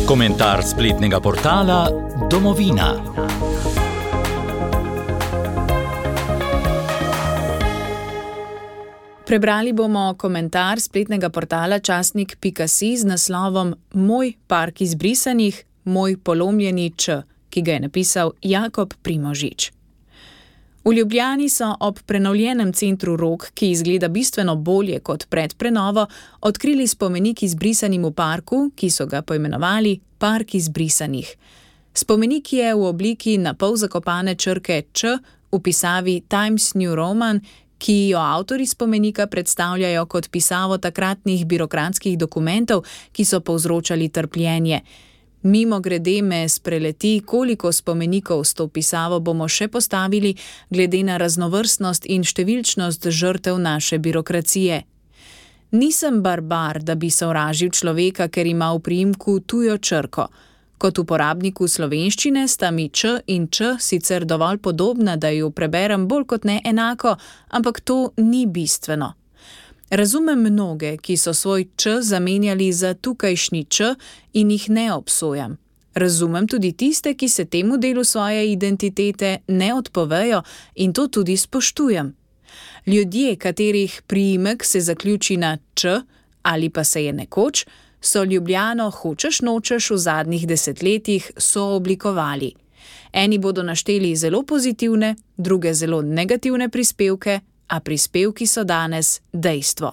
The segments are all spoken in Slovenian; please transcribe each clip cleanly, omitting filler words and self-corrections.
Komentar spletnega portala Domovina. Prebrali bomo komentar spletnega portala časnik.si z naslovom Moj park izbrisanih, moj polomljeni Č, ki ga je napisal Jakob Primožič. V Ljubljani so ob prenovljenem centru Rog, ki izgleda bistveno bolje kot pred prenovo, odkrili spomenik izbrisanim v parku, ki so ga poimenovali Park izbrisanih. Spomenik je v obliki napol zakopane črke Č v pisavi Times New Roman, ki jo avtorji spomenika predstavljajo kot pisavo takratnih birokratskih dokumentov, ki so povzročali trpljenje. Mimogrede me spreleti, koliko spomenikov s to pisavo bomo še postavili, glede na raznovrstnost in številčnost žrtev naše birokracije. Nisem barbar, da bi sovražil človeka, ker ima v priimku tujo črko. Kot uporabniku slovenščine sta mi Č in Č sicer dovolj podobna, da ju preberem bolj kot ne enako, ampak to ni bistveno. Razumem mnoge, ki so svoj Č zamenjali za tukajšnji Č in jih ne obsojam. Razumem tudi tiste, ki se temu delu svoje identitete ne odpovejo in to tudi spoštujem. Ljudje, katerih priimek se zaključi na Č ali pa se je nekoč, so Ljubljano hočeš nočeš v zadnjih desetletjih sooblikovali. Eni bodo našteli zelo pozitivne, druge zelo negativne prispevke, a prispevki so danes dejstvo.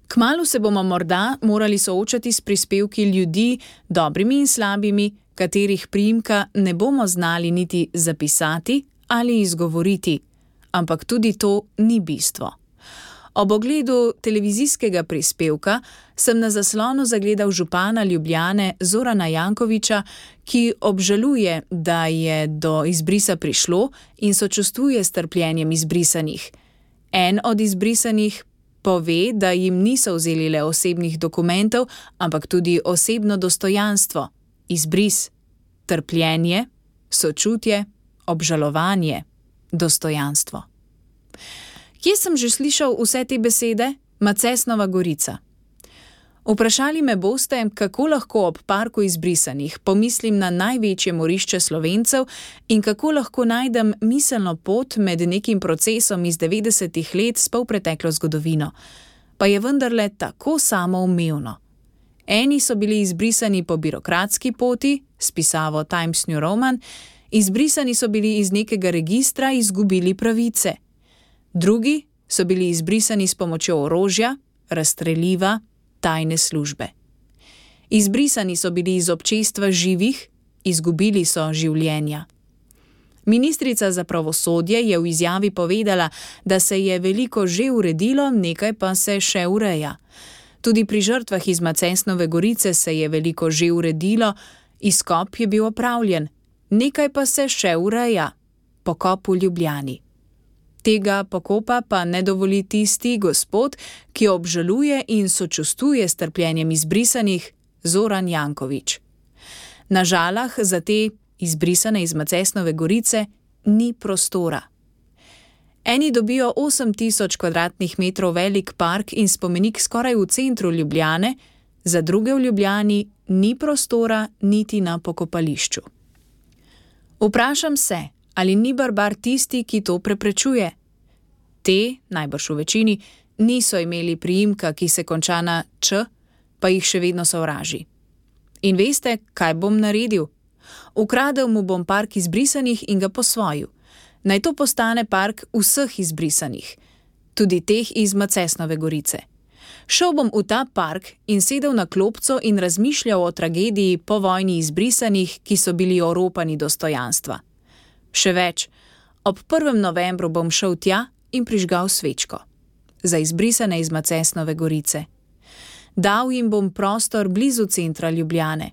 Kmalu se bomo morda morali soočati s prispevki ljudi, dobrimi in slabimi, katerih priimka ne bomo znali niti zapisati ali izgovoriti, ampak tudi to ni bistvo. Ob ogledu televizijskega prispevka sem na zaslonu zagledal župana Ljubljane Zorana Jankovića, ki obžaluje, da je do izbrisa prišlo in sočustvuje s trpljenjem izbrisanih. En od izbrisanih pove, da jim niso vzeli le osebnih dokumentov, ampak tudi osebno dostojanstvo, izbris, trpljenje, sočutje, obžalovanje, dostojanstvo. Kje sem že slišal vse te besede? Macesnova Gorica. Vprašali me boste, kako lahko ob parku izbrisanih pomislim na največje morišče Slovencev in kako lahko najdem miselno pot med nekim procesom iz 90-ih let s polpreteklo zgodovino. Pa je vendarle tako samoumevno. Eni so bili izbrisani po birokratski poti, s pisavo Times New Roman, izbrisani so bili iz nekega registra, izgubili pravice. Drugi so bili izbrisani s pomočjo orožja, razstreliva, tajne službe. Izbrisani so bili iz občestva živih, izgubili so življenja. Ministrica za pravosodje je v izjavi povedala, da se je veliko že uredilo, nekaj pa se še ureja. Tudi pri žrtvah iz Macesnove Gorice se je veliko že uredilo, izkop je bil opravljen, nekaj pa se še ureja. Pokop v Ljubljani. Tega pokopa pa ne dovoli tisti gospod, ki obžaluje in sočustvuje s trpljenjem izbrisanih, Zoran Janković. Na žalah za te izbrisane iz Macesnove Gorice ni prostora. Eni dobijo 8000 kvadratnih metrov velik park in spomenik skoraj v centru Ljubljane, za druge v Ljubljani ni prostora niti na pokopališču. Vprašam se, ali ni barbar tisti, ki to preprečuje? Te, najbrž v večini, niso imeli priimka, ki se konča na Č, pa jih še vedno sovraži. In veste, kaj bom naredil? Ukradel mu bom park izbrisanih in ga posvojil. Naj to postane park vseh izbrisanih, tudi teh iz Macesnove Gorice. Šel bom v ta park in sedel na klopco in razmišljal o tragediji po vojni izbrisanih, ki so bili oropani dostojanstva. Še več, ob 1. novembru bom šel tja in prižgal svečko. Za izbrisane iz Macesnove Gorice. Dal jim bom prostor blizu centra Ljubljane.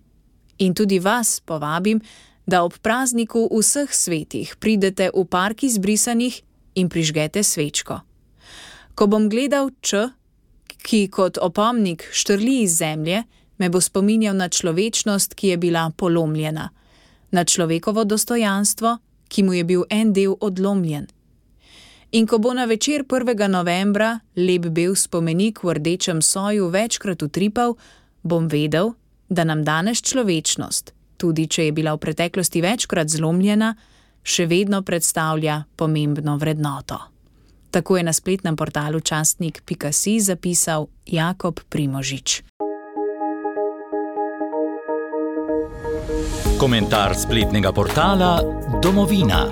In tudi vas povabim, da ob prazniku vseh svetih pridete v park izbrisanih in prižgete svečko. Ko bom gledal Č, ki kot opomnik štrli iz zemlje, me bo spominjal na človečnost, ki je bila polomljena. Na človekovo dostojanstvo, ki mu je bil en del odlomljen. In ko bo na večer 1. novembra lep bel spomenik v rdečem soju večkrat utripal, bom vedel, da nam danes človečnost, tudi če je bila v preteklosti večkrat zlomljena, še vedno predstavlja pomembno vrednoto. Tako je na spletnem portalu časnik.si zapisal Jakob Primožič. Komentar spletnega portala Domovina.